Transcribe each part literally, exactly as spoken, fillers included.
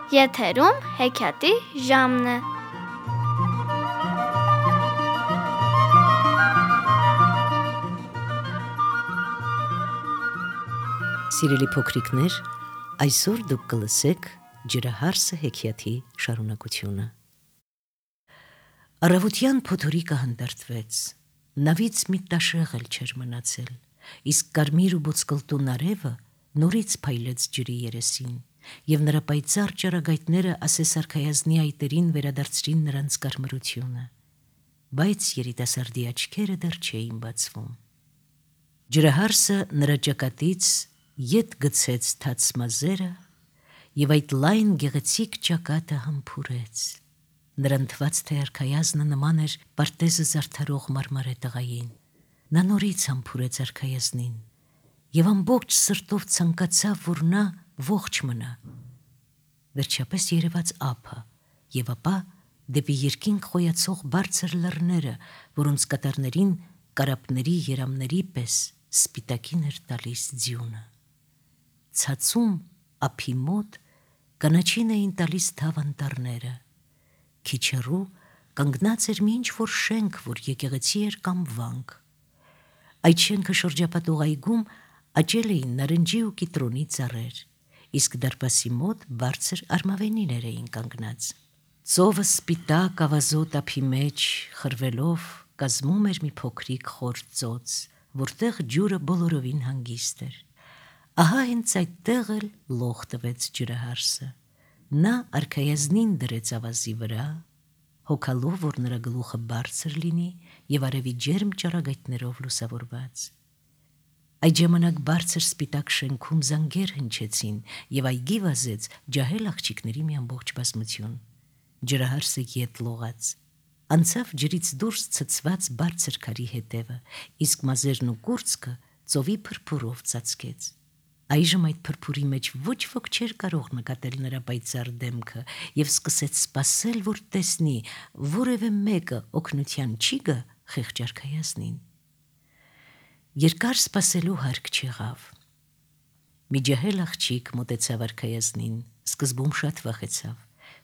Եթերում հեքիաթի ժամն է։ Սիրելի փոքրիկներ, այսօր դուք կլսեք ջրահարսը հեքիաթի շարունակությունը։ Առավոտյան փոթորիկը հանդարտվեց, նավից մի տաշեղ էլ չէր մնացել, իսկ կարմիր ու ոսկլտուն արևը նորից փայլեց ջրի երեսին, և նրա պայծառ ճառագայթները ասես արքայազնի այտերին վերադարձրին նրանց կարմրությունը, բայց երիտասարդի աչքերը դեռ չէին բացվում։ Ջրահարսը նրա ճակատից ետ գցեց թաց մազերը և այդ լայն գեղեցիկ ճակատը համբուրեց։ Նրան թվաց, թե արքայազնը նման էր պարտեզը զարդարող մարմարե տղային։ Նա նորից համբուրեց արքայազնին և ամբողջ սրտով ցանկացավ, որ նա ողջ մնա։ Վերջապես երևաց ափը և ապա դեպի երկինք խոյացող բարձր լեռները, որոնց կատարներին կարապների երամների պես սպիտակին էր տալիս ձյունը։ Ցածում ափի մոտ կանաչին էին տալիս թավ անտառները։ Քիչ հեռու կանգնած էր մի ինչ-որ շենք, որ եկեղեցի էր կամ վանք։ Այդ շենքը շրջապատող այգում աճել էին նարնջի ու կիտրոնի ծառեր, իսկ դարպասի մոտ բարձր արմավենիներ էին կանգնած։ Ծովը սպիտակ ավազոտ ափի մեջ խրվելով կազմում էր մի փոքրիկ խոր ծոց, որտեղ ջուրը բոլորովին հանգիստ էր։ Ահա հենց այդտեղ էլ լող տվեց ջրահարսը։ Նա արքայազնին դրեց ավազի վրա, հոգալով, որ նրա գլուխը բարձր լինի և արևի ջերմ ճառագայթներով լուսավորված։ Այդ ժամանակ բարձր սպիտակ շենքում զանգեր հնչեցին և այգի վազեց ջահել աղջիկների մի ամբողջ բազմություն։ Ջրահարսը ետ լողաց, անցավ ջրից դուրս ցցված բարձր քարի հետևը, իսկ մազերն ու կուրծքը ծովի փրփուրով ծածկեց։ Այժմ այդ փրփուրի մեջ ոչ ոք չէր կարող նկատել նրա պայծառ դեմքը և սկսեց սպասել, որ տեսնի որևէ մեկը օգնության չի գա խեղճ արքայազնին։ Երկար սպասելու հարկ չեղավ։ Մի ջահել աղջիկ մոտեցավ արքայազնին, սկզբում շատ վախեցավ,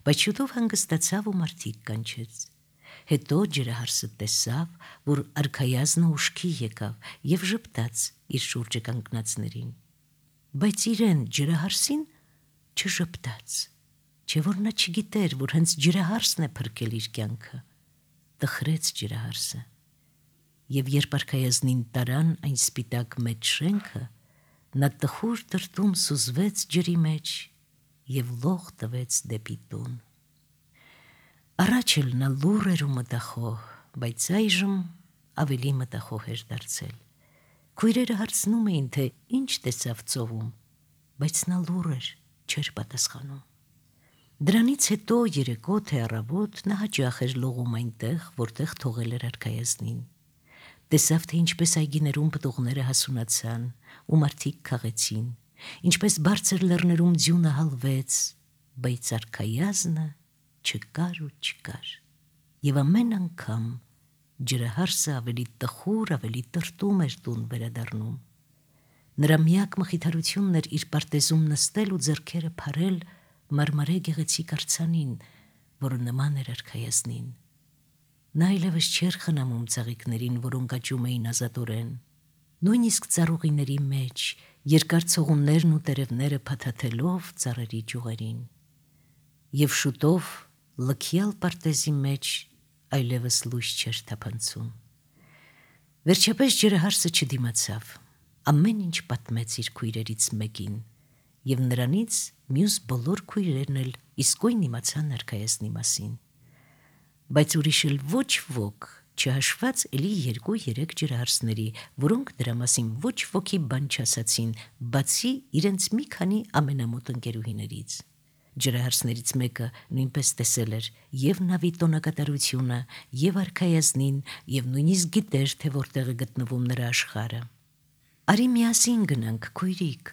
բայց շուտով հանգստացավ ու մարդիկ կանչեց։ Հետո ջրահարսը տեսավ, որ արքայազնը ուշքի եկավ և ժպտաց իր շուրջը կանգնածներին, բայց իրեն ջրահարսին չժպտաց, չէ որ նա չգիտեր, որ հենց ջրահարսն է փրկել իր կյանքը։ Տխրեց ջրահարսը, և երբ արքայազնին տարան այն սպիտակ մեծ շենքը, նա տխուր տրտում սուզվեց ջրի մեջ և լող տվեց դեպի տուն։ Առաջ էլ նա լուռ էր ու մտախոհ, բայց այժմ ավելի մտախոհ էր դարձել։ Քույրերը հարցնում էին, թե ինչ տեսավ ծովում, բայց նա լուռ էր, չէր պատասխանում։ Դրանից հետո երեկո թե առավոտ նա հաճախ էր լողում այնտեղ, որտեղ թողել էր արքայազնին։ Տեսավ, թե ինչպես այգիներում պտուղները հասունացան ու մարդիկ քաղեցին, ինչպես բարձր լեռներում ձյունը հալվեց, բայց արքայազնը չկար ու չկար։ Եվ ամեն անգամ ջրահարսը ավելի տխուր, ավելի տրտում էր տուն վերադառնում։ Նրա միակ մխիթարությունն էր իր պարտեզում նստել ու ձեռքերը փարել մարմարե գեղեցիկ արձանին, որը նման էր արքայազնին։ Նա այլևս չէր խնամում ծաղիկներին, որոնք աճում էին ազատորեն։ Նույնիսկ ծառուղիների մեջ երկար ցողուններն ու տերևները փաթաթելով ծառերի ճյուղերին։ Եվ շուտով լքյալ պարտեզի մեջ այլևս լույս չէր թափանցում։ Վերջապես ջրահարսը չդիմացավ, ամեն ինչ պատմեց իր քույրերից մեկին, և նրանից մյուս բոլոր քույրերն էլ իսկույն իմացան արքայազնի մասին։ Բայց ուրիշ էլ ոչ ոք, չհաշված էլի երկու-երեք ջրահարսների, որոնք դրա մասին ոչ ոքի բան չասացին, բացի իրենց մի քանի ամենամոտ ընկերուհիներից։ Ջրահարսներից մեկը նույնպես տեսել էր և նավի տոնակատարությունը, և արքայազնին, և նույնիսկ գիտեր, թե որտեղ է գտնվում նրա աշխարհը։ «Արի միասին գնանք, քույրիկ»,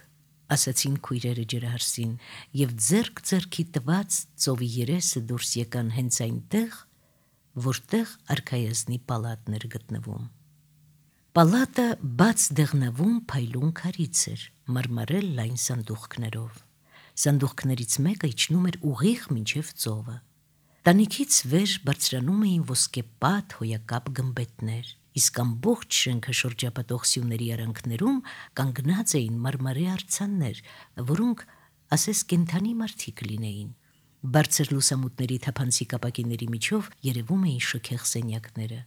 ասացին քույրերը ջրահարսին, և ձեռք ձեռքի տված ծովի երեսը դուրս եկան հենց այնտեղ, որտեղ արքայազնի պալատն էր գտնվում։ Պալատը բաց դեղնավուն փայլուն քարից էր, մարմարել լայն սանդուղքներով։ Սանդուղքներից մեկը իջնում էր ուղիղ մինչև ծովը։ Տանիքից վեր բարձրանում էին ոսկեպատ հոյակապ գմբեթներ, իսկ ամբողջ շենքը շրջապատող սյուների արանքներում կանգնած էին մարմարե արձաններ, որոնք ասես կենդանի մարդիկ լինեին։ Բարձր լուսամուտների թափանցիկ ապակիների միջով երևում էին շքեղ սենյակները։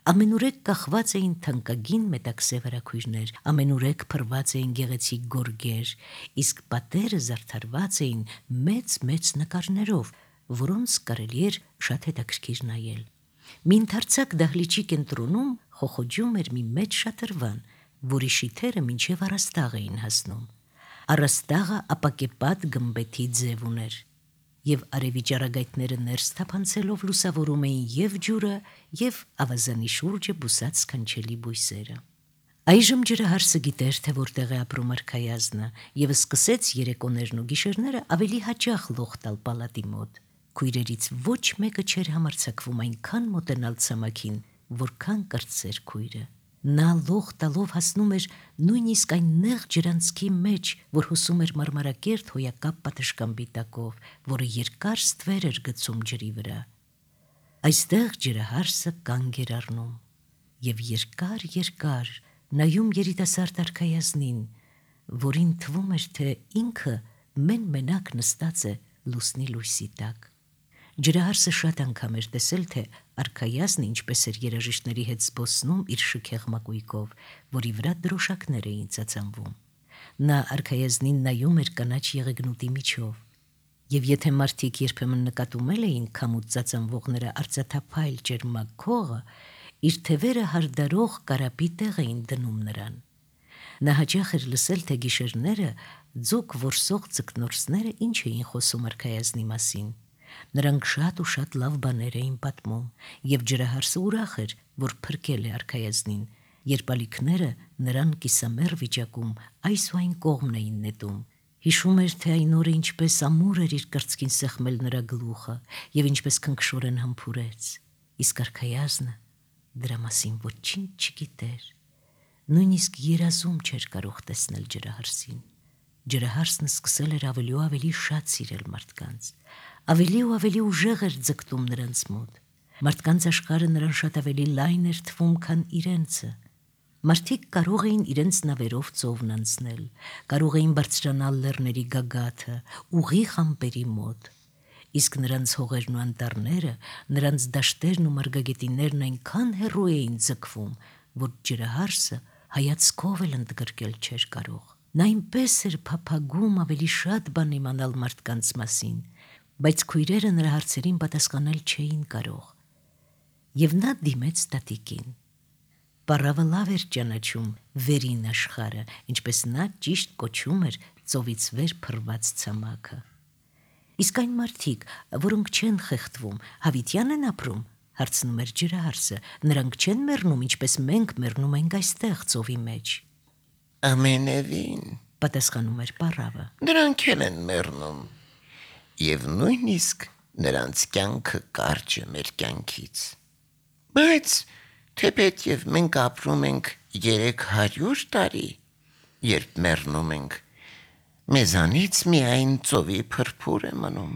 Ամենուրեք կախված էին թանկագին մետաքսե վարագույրներ, ամենուրեք փռված էին գեղեցիկ գորգեր, իսկ պատերը զարդարված էին մեծ-մեծ նկարներով, որոնց կարելի էր շատ հետաքրքիր նայել։ Մի ընդարձակ դահլիճի կենտրոնում խոխոջում էր մի մեծ շատրվան, որի շիթերը մինչև առաստաղ էին հասնում։ Առաստաղը ապակեպատ գմբեթի ձև ուներ, և արևի ճառագայթները ներս թափանցելով լուսավորում էին և ջուրը, և ավազանի շուրջը բուսած սքանչելի բույսերը։ Այժմ ջրահարսը գիտեր, թե որտեղ է ապրում արքայազնը, և սկսեց երեկոներն ու գիշերները ավելի հաճախ լող տալ պալատի մոտ։ Քույրերից ոչ մեկը չէր համարձակվում այնքան մոտենալ ցամաքին, որքան կրտսեր քույրը։ Նա լող տալով հասնում էր նույնիսկ այն նեղ ջրանցքի մեջ, որ հոսում էր մարմարակերտ հոյակապ պատշգամբի տակով, որը երկար ստվեր էր գցում ջրի վրա։ Այստեղ ջրահարսը կանգ էր առնում և երկար-երկար նայում երիտասարդ արքայազնին, որին թվում էր, թե ինքը մեն-մենակ նստած է լուսնի լույսի տակ։ Ջրահարսը շատ անգամ էր տեսել, թե արքայազնը ինչպես էր երաժիշտների հետ զբոսնում իր շքեղ մակույկով, որի վրա դրոշակներ էին ծածանվում։ Նա արքայազնին նայում էր կանաչ եղեգնուտի միջով, և եթե մարդիկ երբեմն նկատում էին քամուց ծածանվող նրա արծաթափայլ ճերմակ քողը, իր թևերը հարդարող կարապի տեղ էին դնում նրան։ Նա հաճախ էր լսել, թե գիշերները ձուկ որսող ձկնորսները ինչ էին խոսում արքայազնի մասին։ Նրանք շատ ու շատ լավ բաներ էին պատմում, և ջրահարսը ուրախ էր, որ փրկել է արքայազնին, երբ ալիքները նրան կիսամեռ վիճակում այս ու այն կողմն էին նետում։ Հիշում էր, թե այն օրը ինչպես ամուր էր իր կրծքին սեղմել նրա գլուխը և ինչպես քնքշորեն համբուրեց, իսկ արքայազնը դրա մասին ոչինչ չգիտեր, նույնիսկ երազում չէր կարող տեսնել ջրահարսին։ Ջրահարսն սկսել էր ավելի ու ավելի շատ սիրել մարդկանց, ավելի ու ավելի ուժեղ էր ձգտում նրանց մոտ։ Մարդկանց աշխարհը նրան շատ ավելի լայն էր թվում, քան իրենցը։ Մարդիկ կարող էին իրենց նավերով ծովն անցնել, կարող էին բարձրանալ լեռների գագաթը, ուղիղ ամպերի մոտ, իսկ նրանց հողերն ու անտառները, նրանց դաշտերն ու մարգագետիններն այնքան հեռու էին ձգվում, որ ջրահարսը հայացքով էլ ընդգրկել չէր կարող։ Նա այնպես էր փափագում ավելի շատ բան իմանալ մարդկանց մասին, բայց քույրերը նրա հարցերին պատասխանել չէին կարող, և նա դիմեց տատիկին։ Պառավը լավ էր ճանաչում վերին աշխարհը, ինչպես նա ճիշտ կոչում էր ծովից վեր փռված ցամաքը։ Իսկ այն մարդիկ, որոնք չեն խեղդվում, հավիտյան են ապրում, հարցնում էր ջրահարսը, նրանք չեն մեռնում, ինչպես մենք մեռնում ենք այստեղ ծովի մեջ։ Ամենևին, պատասխանում էր պառավը։ Նրանք էլ են մեռնում, և նույնիսկ նրանց կյանքը կարճ է մեր կյանքից։ Բայց թեպետ և մենք ապրում ենք երեք հարյուր տարի, երբ մեռնում ենք, մեզանից միայն ծովի փրփուր է մնում,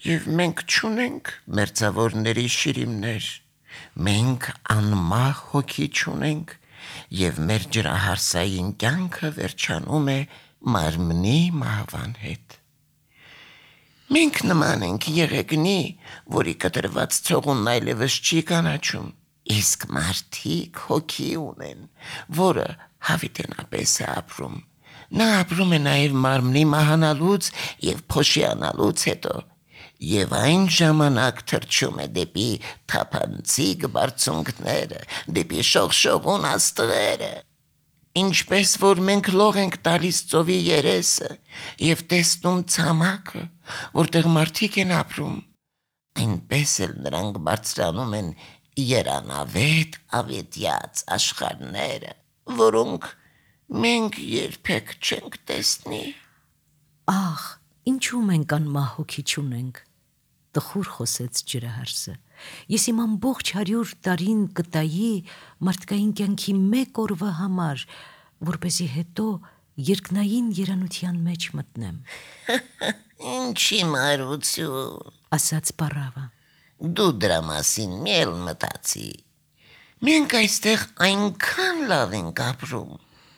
և մենք չունենք մերձավորների շիրիմներ, մենք անմահ հոգի չունենք, և մեր ջրահարսային կյանքը վերջանում է մարմնի մահվան հետ։ Մենք նման ենք եղեգնի, որի կտրված ցողունն այլևս չի կանաչում, իսկ մարդիկ հոգի ունեն, որը հավիտենապես է ապրում։ Նա ապրում է նաև մարմնի մահանալուց և փոշիանալուց հետո, և այն ժամանակ թռչում է դեպի թափանցիկ բարձունքները, դեպի շողշողուն աստղերը։ Ինչպես որ մենք լող ենք տալիս ծովի երեսը և տեսնում ցամաքը, որտեղ մարդիկ են ապրում, այնպես էլ նրանք բարձրանում են երանավետ ավետյաց աշխարհները, որոնք մենք երբեք չենք տեսնի։ Ախ, ինչու մենք անմահ հոգի չունենք, տխուր խոսեց ջրահարսը։ Ես իմ ամբողջ հարյուր տարին կտայի մարդկային կյանքի մեկ օրվա համար, որպեսզի հետո երկնային երանության մեջ մտնեմ, Ինչի մարություն, ասաց պառավը։ դու դրա մասին մի էլ մտածի։ Մենք այստեղ այնքան լավ ենք ապրում,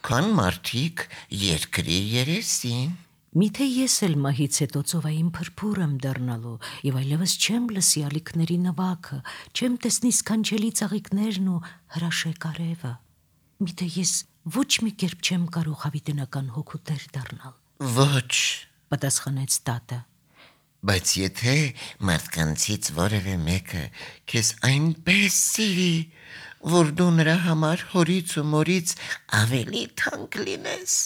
քան մարդիկ երկրի երեսին։ Միթե ես էլ մահից հետո ծովային փրփուր եմ դառնալու եւ այլևս չեմ լսի ալիքների նվագը, չեմ տեսնի սքանչելի ծաղիկներն ու հրաշեք արևը։ Միթե ես ոչ մի կերպ չեմ կարող հավիտենական հոգուտեր դառնալ, Ոչ, պատասխանեց տատը։ բայց եթե մարդկանցից որևէ մեկը քեզ այնպես սիրի, որ դու նրա համար հորից ու մորից ավելի թանկ լինես,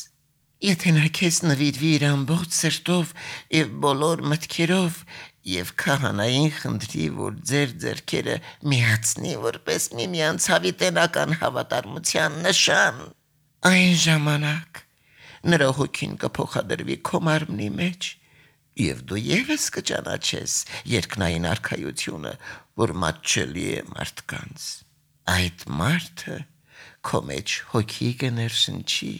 եթե նա քեզ նվիրվի իր ամբողջ սրտով եւ բոլոր մտքերով եւ քահանային խնդրի, որ ձեր ձեռքերը միացնի որպես միմյանց հավիտենական հավատարմության նշան, այն ժամանակ նրա հոգին կփոխադրվի քո մարմնի մեջ եւ դու եւս կճանաչես երկնային արքայությունը, որ մատչելի է մարդկանց։ Այդ մարդը քո մեջ հոգի կներշնչի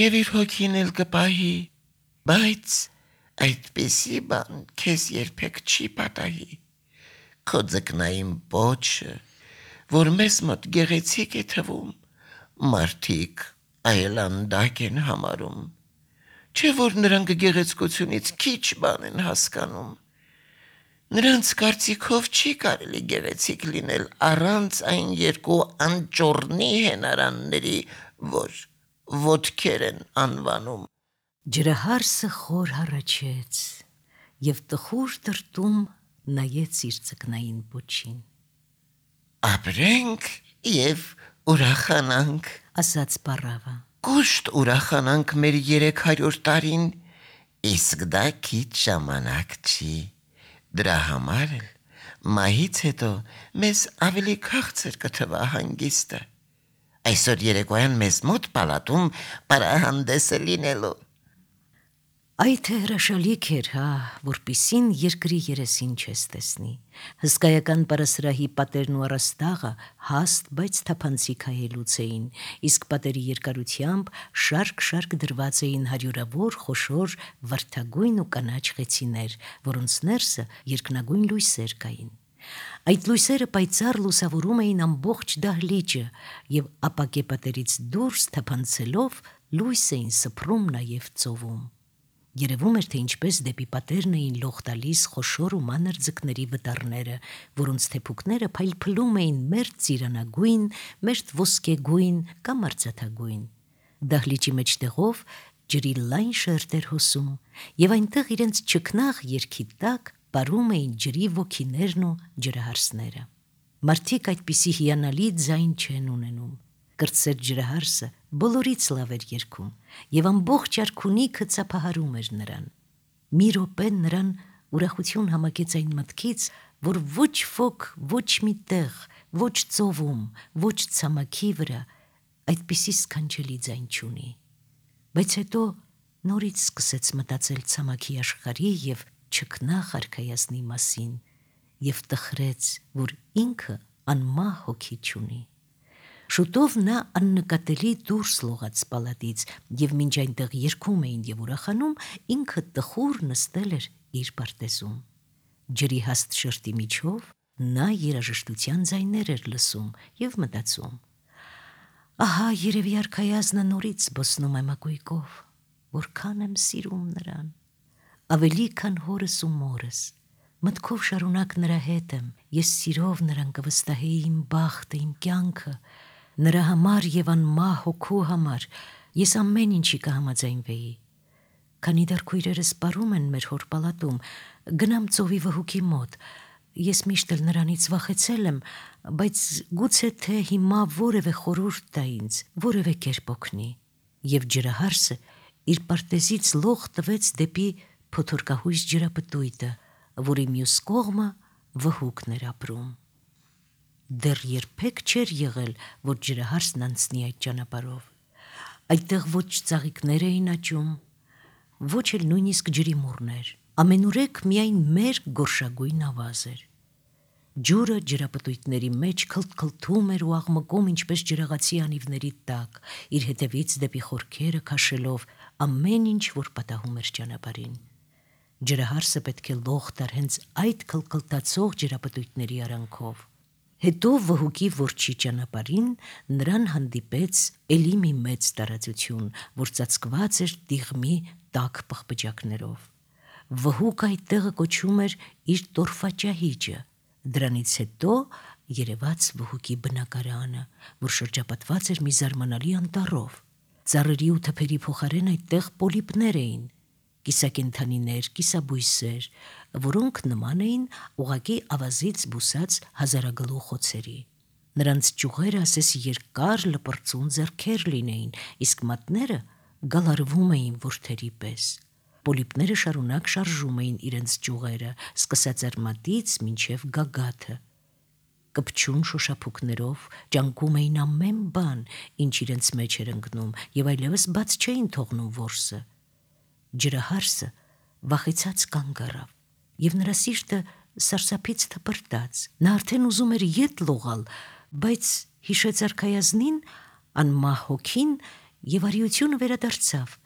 եւ իր հոգին էլ կպահի, բայց այդպիսի բան քեզ երբեք չի պատահի։ Քո ձկնային պոչը, որ մեզ մոտ գեղեցիկ է թվում, մարդիկ այլանդակ են համարում, չէ որ նրանք գեղեցկությունից քիչ բան են հասկանում։ Նրանց կարծիքով չի կարելի գեղեցիկ լինել առանց այն երկու անճոռնի հենարանների, որ ոտքեր են անվանում։ Ջրահարսը խոր հառաչեց եւ տխուր տրտում նայեց իր ձկնային պոչին, Ապրենք եւ ուրախանանք, ասաց պառավը։ կուշտ ուրախանանք մեր երեք հարյուր տարին, իսկ դա քիչ ժամանակ չի։ Դրա համար էլ մահից հետո մեզ ավելի քաղցր կթվա հանգիստը։ Այսօր երեկոյան մեզ մոտ պալատում պարահանդես է լինելու։ Այդ հրաշալիք էր, հա, որպիսին երկրի երեսին չես տեսնի։ Հսկայական պարասրահի պատերն ու առաստաղը հաստ, բայց թափանցիկ հայելուց էին, իսկ պատերի երկարությամբ շարք-շարք դրված էին հարյուրավոր խոշոր վարդագույն ու կանաչ խեցիներ, որոնց ներսը երկնագույն լույսեր կային։ Այդ լույսերը պայծառ լուսավորում էին ամբողջ դահլիճը եւ ապակե պատերից դուրս թափանցելով լույս էին սփռում նաեւ ծովում։ Երևում էր, թե ինչպես դեպի պատերն էին լող տալիս խոշոր ու մանր ձկների վտարները, որոնց թեփուկները փայլփլում էին մերթ ծիրանագույն, մերթ ոսկեգույն կամ արծաթագույն։ Դահլիճի մեջտեղով ջրի լայն շերտեր հոսում, եւ այնտեղ իրենց ճկնաղ երգի տակ պարում էին ջրի ոգիներն ու ջրահարսները։ Մարդիկ այդպիսի հիանալի ձայն չեն ունենում։ Կրտսեր ջրահարսը բոլորից լավ էր երգում եւ ամբողջ արքունիքը ծափահարում էր նրան։ Մի րոպե նրան ուրախություն համակեց այն մտքից, որ ոչ ոք, ոչ մի տեղ, ոչ ծովում, ոչ ցամաքի վրա այդպիսի սքանչելի ձայն չունի։ Բայց հետո նորից սկսեց մտածել ցամաքի աշխարհի եւ չքնաղ արքայազնի մասին եւ տխրեց, որ ինքը անմահ հոգի չունի։ Շուտով նա աննկատելի դուրս լողաց պալատից եւ մինչ այնտեղ երգում էին եւ ուրախանում, ինքը տխուր նստել էր իր պարտեզում։ Ջրի հաստ շերտի միջով նա երաժշտության ձայներ էր լսում եւ մտածում. ահա երևի արքայազնը նորից բոսնում է մակույկով, որքան եմ սիրում նրան, ավելի քան հորս ու մորս, մտքով շարունակ նրա հետ եմ, ես սիրով նրան կվստահեի իմ բախտը, իմ կյանքը, նրա համար եւ անմահ հոգու համար ես ամեն ինչի կհամաձայնվեի։ Քանի դեռ քույրերս պարում են մեր հոր պալատում, գնամ ծովի վհուկի մոտ, ես միշտ էլ նրանից վախեցել եմ, բայց գուցե թե հիմա որևէ խորհուրդ տա ինձ, որևէ կերպ օգնի։ Եվ ջրահարսը իր պարտեզից լող տվեց դեպի փոթորկահույս ջրապտույտը, որի մյուս կողմը վհուկն էր ապրում։ Դեռ երբեք չէր եղել, որ ջրահարսն անցնի այդ ճանապարհով։ Այդտեղ ոչ ծաղիկներ էին աճում, ոչ էլ նույնիսկ ջրի մուրներ, ամենուրեք միայն մեր գորշագույն ավազ էր։ Ջուրը ջրապտույտների մեջ քլթքլթում էր ու աղմկում ինչպես ջրաղացի անիվների տակ, իր հետևից դեպի խորքերը քաշելով ամեն ինչ, որ պատահում էր ճանապարհին։ Ջրահարսը պետք է լող տար հենց այդ քլքլթացող ջրապտույտների արանքով։ Հետո վհուկի որջի ճանապարհին նրան հանդիպեց էլի մի մեծ տարածություն, որ ծածկված էր դիղմի տաք պղպջակներով։ Վհուկը այդտեղը կոչում էր իր տորֆաճահիճը, դրանից հետո երևաց վհուկի բնակարանը, որ շրջապատված էր մի զարմանալի անտառով։ Ծառերի ու թփերի փոխարեն այդտեղ պոլիպներ էին, կիսակենդանիներ, կիսաբույսեր, որոնք նման էին ուղղակի ավազից բուսած հազարագլու խոցերի։ Նրանց ճյուղերը ասես երկար լպրծուն ձեռքեր լինեին, իսկ մատները գալարվում էին որդերի պես։ Պոլիպները շարունակ շարժում էին իրենց ճյուղերը, սկսած արմատից մինչև գագաթը։ Կպչուն շոշափուկներով ճանկում էին ամեն բան, ինչ իրենց մեջ էր ընկնում, եւ այլևս բաց չէին թողնում որսը։ Ջրահարսը վախեցած կանգ առավ, եւ նրա սիրտը սարսափից թպրտաց։ Նա արդեն ուզում էր ետ լողալ, բայց հիշեց արքայազնին, անմահ հոգին եւ արիությունը վերադարձավ։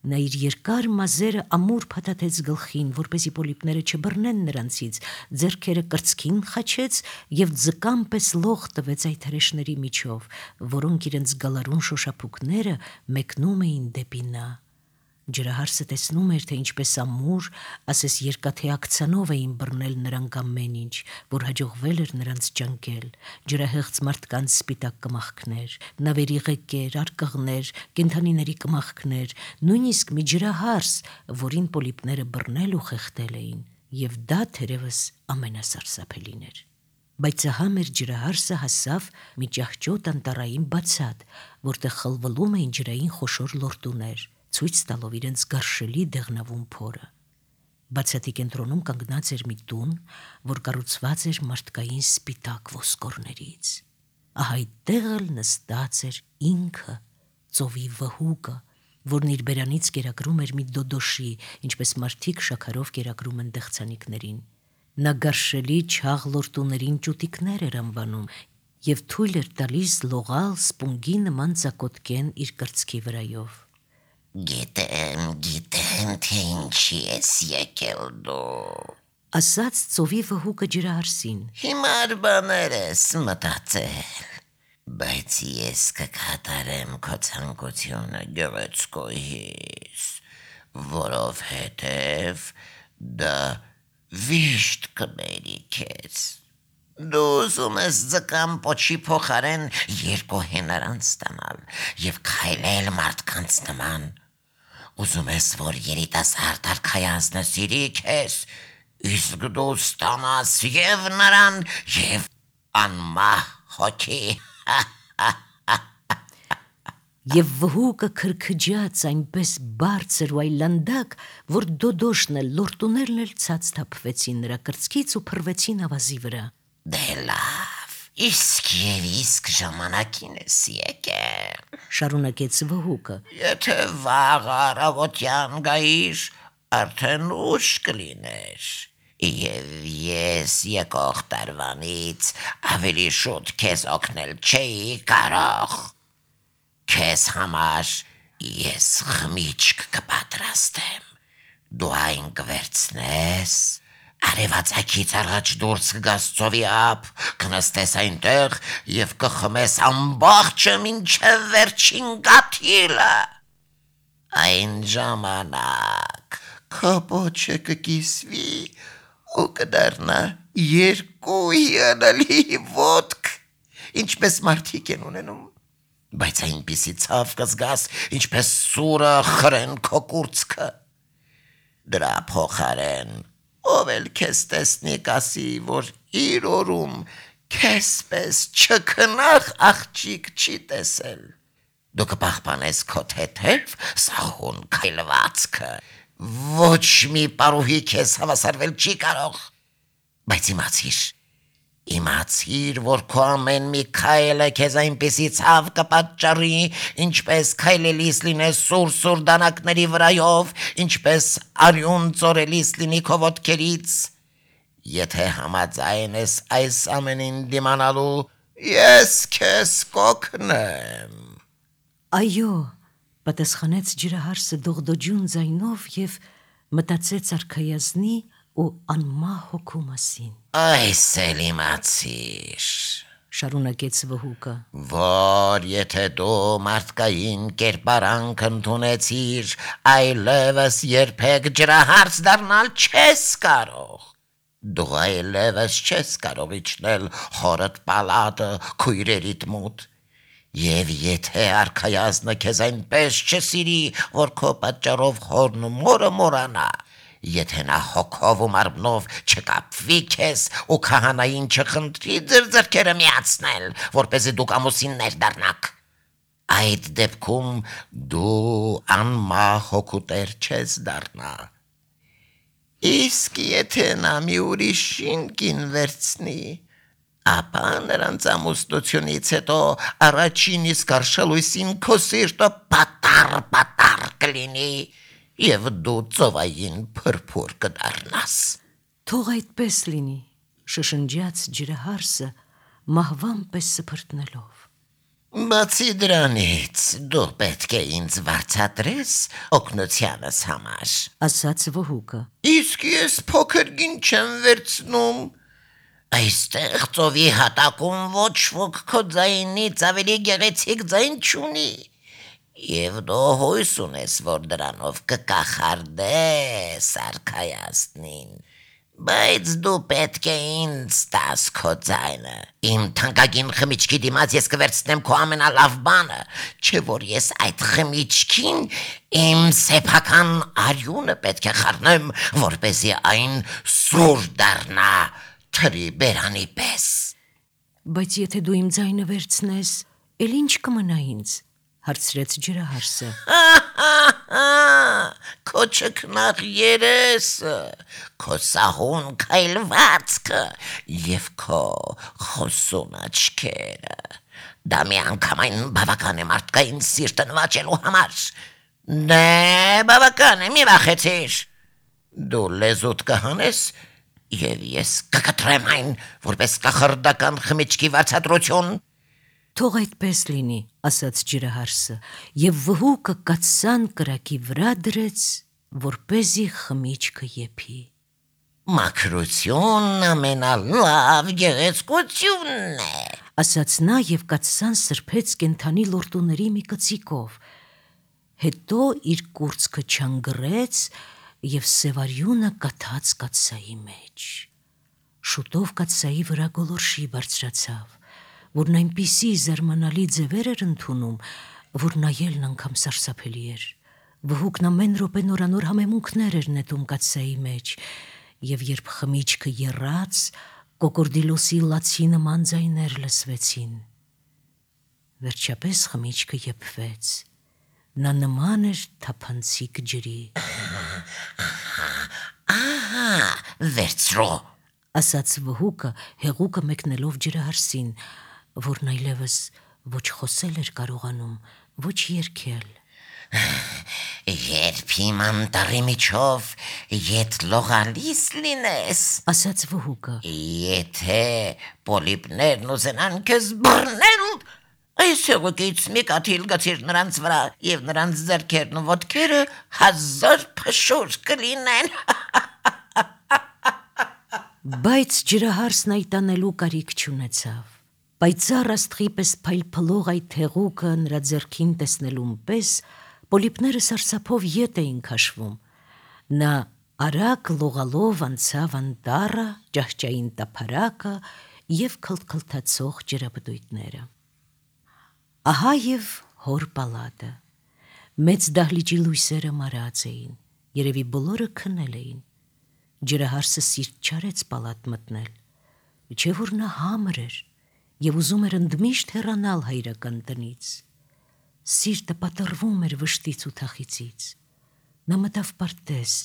Նա իր երկար մազերը ամուր փաթաթեց գլխին, որպեսզի պոլիպները չբռնեն նրանցից, ձեռքերը կրծքին խաչեց եւ ձկան պես լող տվեց այդ հրեշների միջով, որոնք իրենց գալարուն շոշափուկները մեկնում էին դեպի նա։ Ջրահարսը տեսնում էր, թե ինչպես ամուր, ասես երկաթե ակցանով էին բռնել նրանք ամեն ինչ, որ հաջողվել էր նրանց ճանկել, ջրահեղձ մարդկանց սպիտակ կմախքներ, նավերի ղեկեր, արկղներ, կենդանիների կմախքներ, նույնիսկ մի ջրահարս, որին պոլիպները բռնել ու խեղդել էին, եւ դա թերևս ամենասարսափելին էր։ Բայց ահա մեր ջրահարսը հասավ մի ճահճոտ անտառային բացատ, որտեղ խլվլում էին ջրային խոշոր լորտուներ, ցույց տալով իրենց գարշելի դեղնավուն փորը։ Բացատի կենտրոնում կանգնած էր մի տուն, որ կառուցված էր մարդկային սպիտակ ոսկորներից։ Ահա այդտեղ էլ նստած էր ինքը, ծովի վհուկը, որն իր բերանից կերակրում էր մի դոդոշի, ինչպես մարդիկ շաքարով կերակրում են դեղցանիկներին։ Նա գարշելի չաղ լորտուներին ճուտիկներ էր անվանում եւ թույլ էր տալիս լողալ սպունգի նման ծակոտկեն իր կրծքի վրայով։ Գիտեմ, գիտեմ, թե ինչի ես եկել դու, ասաց ծովի վհուկը ջրահարսին։ Հիմար բաներ ես մտածել, բայց ես կկատարեմ քո ցանկությունը գեղեցկուհիս, որովհետև դա վիշտ կբերի քեզ։ Դու ուզում ես ձկան պոչի փոխարեն երկու հենարանց ստանալ եւ քայլել մարդկանց նման։ Ուզում ես, որ երիտասարդ արքայազնը սիրի քեզ, իսկ դու ստանաս եւ նրան, եւ անմահ հոգի։ Եվ վհուկը քրքջաց այնպես բարձր ու այլանդակ, որ դոդոշն էլ լորտուներն էլ ցած թափվեցին նրա կրծքից ու փռվեցին ավազի վրա։ Դե լավ, իսկ եւ իսկ ժամանակին ես եկել, շարունակեց վհուկը։ Եթե վաղ առավոտյան գայիր, արդեն ուշ կլիներ, եւ ես եկող տարվանից ավելի շուտ քեզ օգնել չէի կարող։ Քեզ համար ես խմիչք կպատրաստեմ, դու այն կվերցնես, արևածագից առաջ դուրս կգաս ծովի ափ, կնստես այնտեղ եւ կխմես ամբողջը մինչեւ վերջին գաթիլը։ Այն ժամանակ քո պոչը կկիսվի ու կդառնա երկու հիանալի ոտք, ինչպես մարդիկ են ունենում, բայց այնպիսի ցավ կզգաս, ինչպես սուրը խրեն քո կուրծքը։ Դրա փոխարեն ով էլ քեզ տեսնի կասի, որ իր օրում քեզպես չքնաղ աղջիկ չի տեսել։ Դու կպահպանես քո թեթև սահուն քայլվածքը, ոչ մի պարուհի քեզ հավասարվել չի կարող, բայց իմացիր, իմացիր, որ քո ամեն մի քայլը քեզ այնպիսի ցավ կպատճառի, ինչպես քայլելիս լինես սուր-սուր դանակների վրայով, ինչպես արյուն ծորելիս լինի քո ոտքերից, եթե համաձայն ես այս ամենին դիմանալու, ես քեզ կօգնեմ։ Այո, պատասխանեց ջրահարսը դողդոջուն ձայնով եւ մտածեց արքայազնի ու անմահ հոգու մասին։ Այս էլ իմացիր, շարունակեց վհուկը, որ եթե դու մարդկային կերպարանք ընդունեցիր, այլևս երբեք ջրահարս դառնալ չես կարող։ Դու այլևս չես կարող իջնել հորդ պալատը քույրերիդ մոտ։ Եվ եթե արքայազնը քեզ այնպես չսիրի, որ քո պատճառով հորն ու մորը մորանա, եթե նա հոգով ու մարմնով չկապվի քեզ ու քահանային չխնդրի ձեր ձեռքերը միացնել, որպեսզի դուք ամուսիններ դառնաք, այդ դեպքում դու անմահ հոգու տեր չես դառնա։ Իսկ եթե նա մի ուրիշին կին վերցնի, ապա նրանց ամուսնությունից հետո առաջին իսկ արշալույսին քո սիրտը պատառ-պատառ կլինի եւ դու ծովային փրփուր կդառնաս։ Թող այդպես լինի, շշնջաց ջրահարսը մահվան պես սփրտնելով։ Բացի դրանից, դու պետք է ինձ վարձատրես օգնությանս համար, ասաց վհուկը։ Իսկ ես փոքր գին չեմ վերցնում։ Այստեղ ծովի հատակում ոչ ոք քո ձայնից ավելի գեղեցիկ ձայն չունի, եւ դու հույս ունես, որ դրանով կկախարդես արքայազնին, բայց դու պետք է ինձ տաս քո ձայնը։ Իմ թանկագին խմիչքի դիմաց ես կվերցնեմ քո ամենալավ բանը, չէ որ ես այդ խմիչքին իմ սեփական արյունը պետք է խառնեմ, որպեսզի այն սուր դառնա թրի բերանի պես։ Բայց եթե դու իմ ձայնը վերցնես, էլ ինչ կմնա ինձ, հարցրեց ջրահարսը։ Քո չքնաղ երեսը, քո սահուն քայլվածքը եւ քո խոսուն աչքերը, դա միանգամայն բավական է մարդկային սիրտը նվաճելու համար։ Դե բավական է, մի վախեցիր։ Դու լեզուդ կհանես եւ ես կկտրեմ այն, որպես կախարդական խմիչքի վարձատրություն։ Թող այդպես լինի, ասաց ջրահարսը, եւ վհուկը կաթսան կրակի վրա դրեց, որպեսզի խմիչքը եփի։ Մաքրությունն ամենալավ գեղեցկությունն է, ասաց նա եւ կաթսան սրբեց կենթանի լորտուների մի կծիկով, հետո իր կուրծքը չանգրեց եւ սևարյունը կաթած կաթսայի մեջ։ Շուտով կաթսայի վրա գոլորշի բարձրացավ, որն այնպիսի զարմանալի ձևեր էր ընդունում, որ նայելն անգամ սարսափելի էր։ Վհուկն ամեն րոպե նորանոր համեմունքներ էր նետում կաթսայի մեջ, եւ երբ խմիչքը եռաց, կոկորդիլոսի լացի նման ձայներ լսվեցին։ Վերջապես խմիչքը եփվեց։ Նա նման էր թափանցիկ ջրի։ Ահա, վերցրո, ասաց վհուկը, հեղուկը մեկնելով ջրահարսին, որն այլևս ոչ խոսել էր կարողանում, ոչ երգել։ Երբ իմ անտառի միջով ետ լողալիս լինես, ասաց վհուկը, եթե պոլիպներն ուզենան քեզ բռնել, այս հեղուկից մի կաթիլ գցիր նրանց վրա եւ նրանց ձեռքերն ու ոտքերը հազար փշուր կլինեն։ Բայց ջրահարսն այտանելու կարիք չունեցավ։ Պայծառ աստղի պես փայլփլող այդ հեղուկը նրա ձեռքին տեսնելուն պես պոլիպները սարսափով ետ էին քաշվում։ Նա արագ լողալով անցավ անտառը, ճահճային տափարակը եւ քլթքլթացող ջրաբդույթները։ Ահա եւ հոր պալատը։ Մեծ դահլիճի լույսերը մարած էին, երևի բոլորը քնել էին։ Ջրահարսը սիրտ չարեց պալատ մտնել, չէ որ նա համր էր եւ ուզում էր ընդմիշտ հեռանալ հայրական տնից։ Սիրտը պատռվում էր վշտից ու թախիծից։ Նա մտավ պարտեզ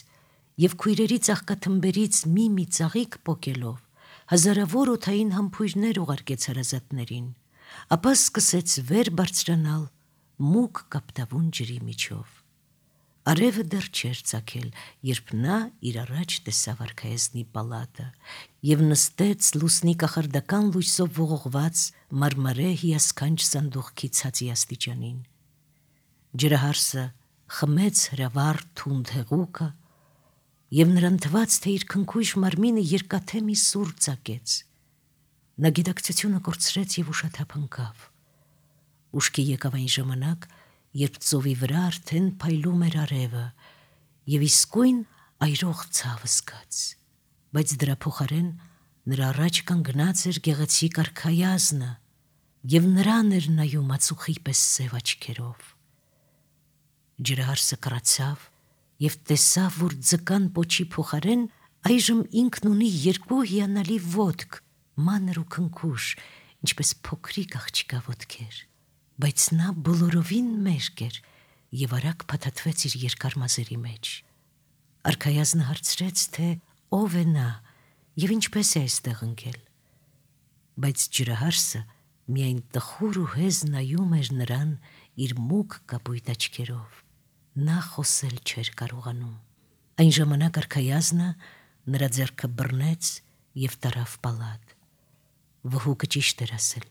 եւ քույրերի ծաղկաթմբերից մի-մի ծաղիկ պոկելով հազարավոր օդային համբույրներ ուղարկեց հարազատներին, ապա սկսեց վեր բարձրանալ մուգ կապտավուն ջրի միջով։ Արևը դեռ չէր ծագել, երբ նա իր առաջ տեսավ արքայազնի պալատը եւ նստեց լուսնի կախարդական լույսով ողողված մարմարե հիասքանչ սանդուղքի ցածի աստիճանին։ Ջրահարսը խմեց հրավառ թունդ հեղուկը եւ նրան թվաց, թե իր քնքույժ մարմինը երկաթե մի սուր ծակեց։ Նա գիտակցությունը կորցրեց եւ ուշաթափ ընկավ։ Ուշքի եկավ այն ժամանակ, երբ ծովի վրա արդեն փայլում էր արևը եւ իսկույն այրող ցավ զգաց, բայց դրա փոխարեն նրա առաջ կանգնած էր գեղեցիկ արքայազնը եւ նրան էր նայում ածուխի պես սև աչքերով։ Ջրահարսը կռացավ եւ տեսավ, որ ձկան պոչի փոխարեն այժմ ինքն ունի երկու հիանալի ոտք, մանր ու քնքուշ, ինչպես փոքրիկ աղջկա ոտքեր, բայց նա բոլորովին մերկ էր եւ արագ փաթաթվեց իր երկար մազերի մեջ։ Արքայազնը հարցրեց, թե ով է նա եւ ինչպես է այստեղ ընկել, բայց ջրահարսը միայն տխուր ու հեզ նայում էր նրան իր մուգ կապույտ աչքերով։ Նա խոսել չէր կարողանում։ Այն ժամանակ արքայազնը նրա ձեռքը բռնեց եւ տարավ պալատ։ Վհուկը ճիշտ էր ասել։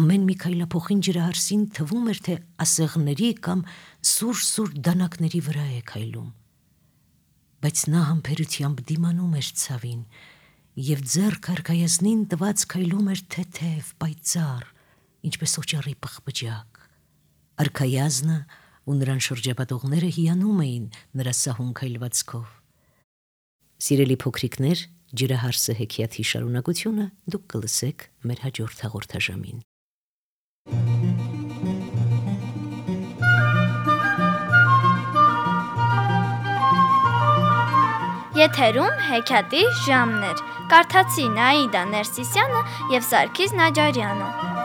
Ամեն մի քայլափոխին ջրահարսին թվում էր, թե ասեղների կամ սուր-սուր դանակների վրա է քայլում։ Բայց նա համբերությամբ դիմանում էր ցավին եւ ձեռքը արքայազնին տված քայլում էր թեթև, պայծառ, ինչպես օճառի պղպջակ։ Արքայազնը ու նրան շրջապատողները հիանում էին նրա սահուն քայլվածքով։ Սիրելի փոքրիկներ, ջրահարսը հեքիաթի շարունակությունը դուք կլսեք մեր հաջորդ հաղորդաժամին։ Եթերում հեքիաթի ժամն էր։ Կարդացին Աիդա Ներսիսյանը եւ Սարգիս Նաջարյանը։